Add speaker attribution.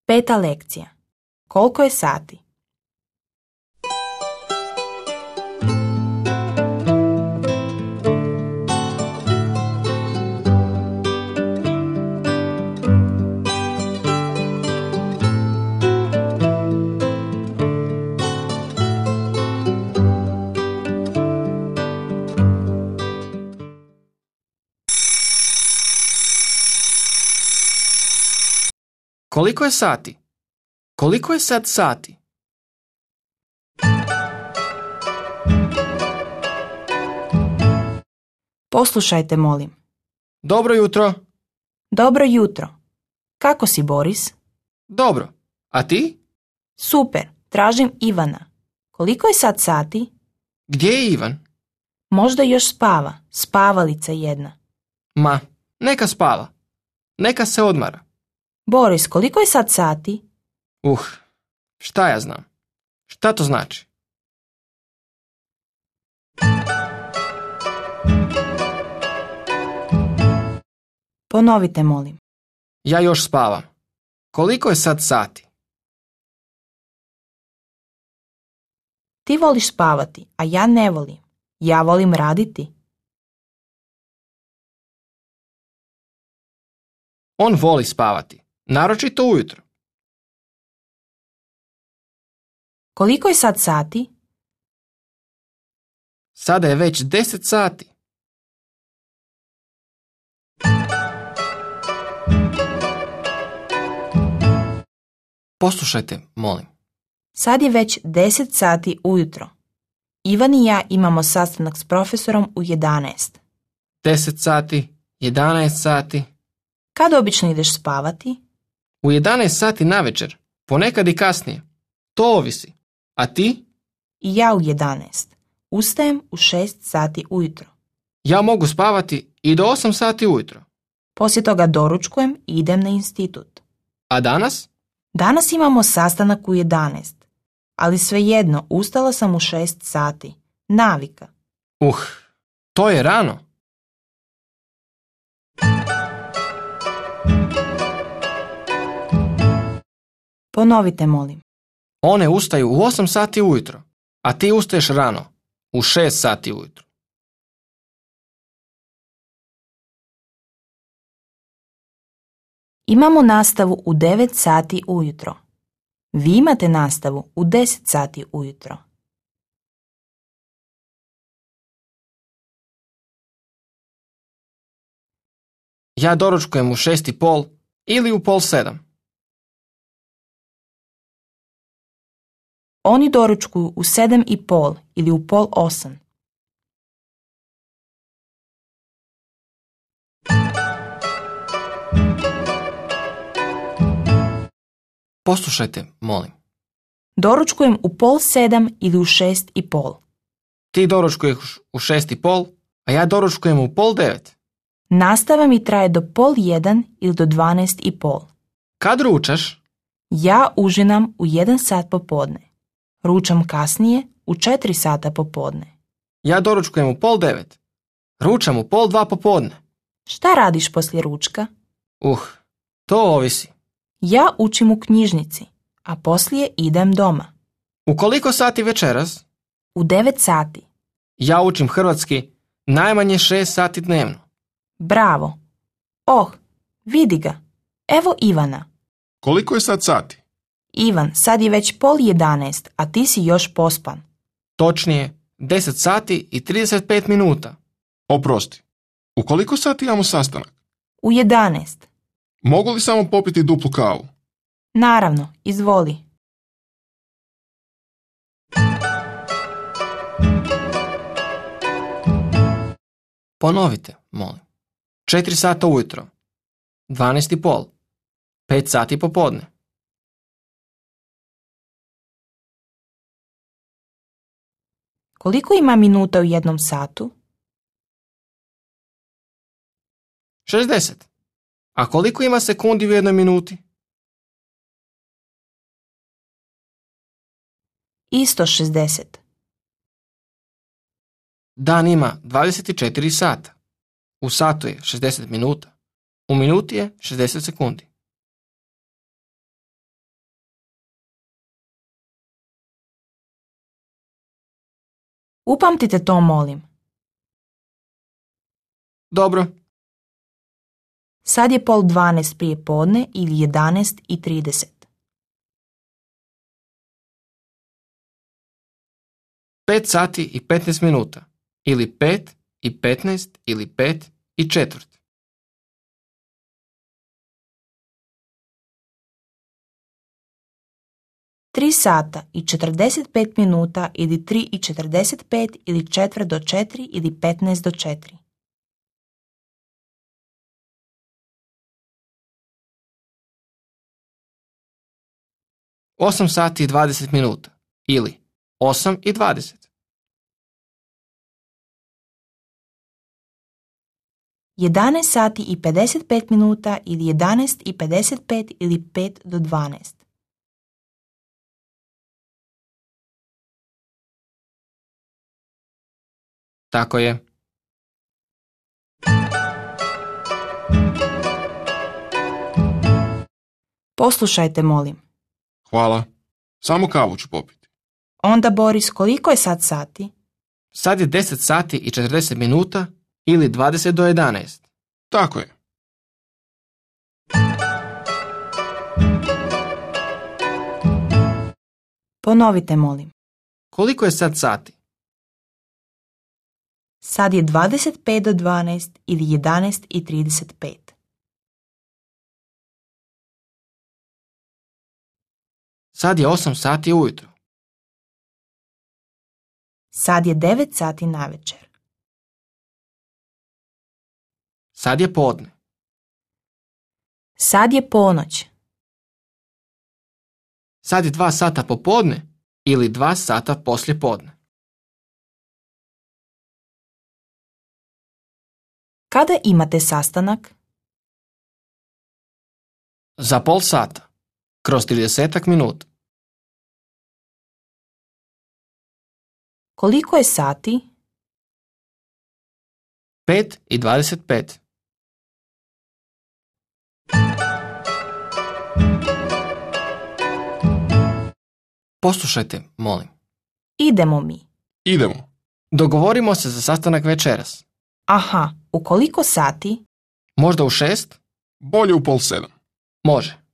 Speaker 1: 5. lekcija. Koliko je sati?
Speaker 2: Koliko je sati? Koliko je sad sati?
Speaker 1: Poslušajte, molim.
Speaker 2: Dobro jutro.
Speaker 1: Dobro jutro. Kako si, Boris?
Speaker 2: Dobro. A ti?
Speaker 1: Super, tražim Ivana. Koliko je sad sati?
Speaker 2: Gdje je Ivan?
Speaker 1: Možda još spava, spavalica jedna.
Speaker 2: Ma, neka spava. Neka se odmara.
Speaker 1: Boris, koliko je sad sati?
Speaker 2: Šta ja znam? Šta to znači?
Speaker 1: Ponovite, molim.
Speaker 2: Ja još spavam. Koliko je sad sati?
Speaker 1: Ti voliš spavati, a ja ne volim. Ja volim raditi.
Speaker 2: On voli spavati, naročito ujutro.
Speaker 1: Koliko je sad sati?
Speaker 2: Sada je već 10 sati. Poslušajte, molim.
Speaker 1: Sad je već 10 sati ujutro. Ivan i ja imamo sastanak s profesorom u 11.
Speaker 2: 10 sati, 11 sati.
Speaker 1: Kad obično ideš spavati?
Speaker 2: U 11 sati navečer, ponekad i kasnije. To ovisi. A ti?
Speaker 1: I ja u 11. Ustajem u 6 sati ujutro.
Speaker 2: Ja mogu spavati i do 8 sati ujutro.
Speaker 1: Poslije toga doručkujem i idem na institut.
Speaker 2: A danas?
Speaker 1: Danas imamo sastanak u 11. Ali svejedno, ustala sam u 6 sati. Navika.
Speaker 2: To je rano.
Speaker 1: Ponovite, molim.
Speaker 2: One ustaju u 8 sati ujutro, a ti ustaješ rano, u 6 sati ujutro.
Speaker 1: Imamo nastavu u 9 sati ujutro. Vi imate nastavu u 10 sati ujutro.
Speaker 2: Ja doručkujem u 6:30 ili u 6:30.
Speaker 1: Oni doručkuju u 7:30 ili u 7:30.
Speaker 2: Poslušajte, molim.
Speaker 1: Doručkujem u 6:30 ili u 6:30.
Speaker 2: Ti doručkuješ u 6:30, a ja doručkujem u 8:30.
Speaker 1: Nastava mi traje do 12:30 ili do 12:30.
Speaker 2: Kad ručaš?
Speaker 1: Ja užinam u 1 sat popodne. Ručam kasnije u 4 sata popodne.
Speaker 2: Ja doručkujem u 8:30. Ručam u 1:30 popodne.
Speaker 1: Šta radiš poslije ručka?
Speaker 2: To ovisi.
Speaker 1: Ja učim u knjižnici, a poslije idem doma.
Speaker 2: U koliko sati večeras?
Speaker 1: U 9 sati.
Speaker 2: Ja učim hrvatski najmanje 6 sati dnevno.
Speaker 1: Bravo. Vidi ga. Evo Ivana.
Speaker 3: Koliko je sad sati?
Speaker 1: Ivan, sad je već 10:30, a ti si još pospan.
Speaker 2: Točnije, 10 sati i 35 minuta.
Speaker 3: Oprosti. U koliko sati imamo sastanak?
Speaker 1: U 11.
Speaker 3: Mogu li samo popiti duplu kavu?
Speaker 1: Naravno, izvoli.
Speaker 2: Ponovite, molim. 4 sata ujutro, 12:30, 5 sati popodne.
Speaker 1: Koliko ima minuta u 1 satu?
Speaker 2: 60. A koliko ima sekundi u 1 minuti?
Speaker 1: Isto 60.
Speaker 2: Dan ima 24 sata. U satu je 60 minuta. U minuti je 60 sekundi.
Speaker 1: Upamtite to, molim.
Speaker 2: Dobro.
Speaker 1: Sad je 11:30 prije podne ili 11:30.
Speaker 2: 5 sati i 15 minuta. Ili 5 i 15 ili 5 i četvrt.
Speaker 1: 3 sata i 45 minuta ili 3:45 ili četvrt do 4 ili 15 do 4.
Speaker 2: 8 sati i 20 minuta. Ili 8:20.
Speaker 1: 11 sati i 55 minuta ili 11:55 ili 5 do 12.
Speaker 2: 'Tako je.
Speaker 1: Poslušajte, molim.
Speaker 3: Hvala. Samo kavu ću popiti.
Speaker 1: Onda, Boris, koliko je sad sati?
Speaker 2: Sad je 10 sati i 40 minuta ili 20 do 11.
Speaker 3: Tako je.
Speaker 1: Ponovite, molim.
Speaker 2: Koliko je sad sati?
Speaker 1: Sad je 25 do 12 ili 11:35.
Speaker 2: Sad je 8 sati ujutro.
Speaker 1: Sad je 9 sati navečer.
Speaker 2: Sad je podne.
Speaker 1: Sad je ponoć.
Speaker 2: Sad je 2 sata popodne ili 2 sata poslije podne.
Speaker 1: Kada imate sastanak?
Speaker 2: Za pol sata. Kroz 30 minuta.
Speaker 1: Koliko je sati?
Speaker 2: 5:25. Poslušajte, molim.
Speaker 1: Idemo mi.
Speaker 3: Idemo.
Speaker 2: Dogovorimo se za sastanak večeras.
Speaker 1: Aha, u koliko sati?
Speaker 2: Možda u 6?
Speaker 3: Bolje u 6:30.
Speaker 2: Može.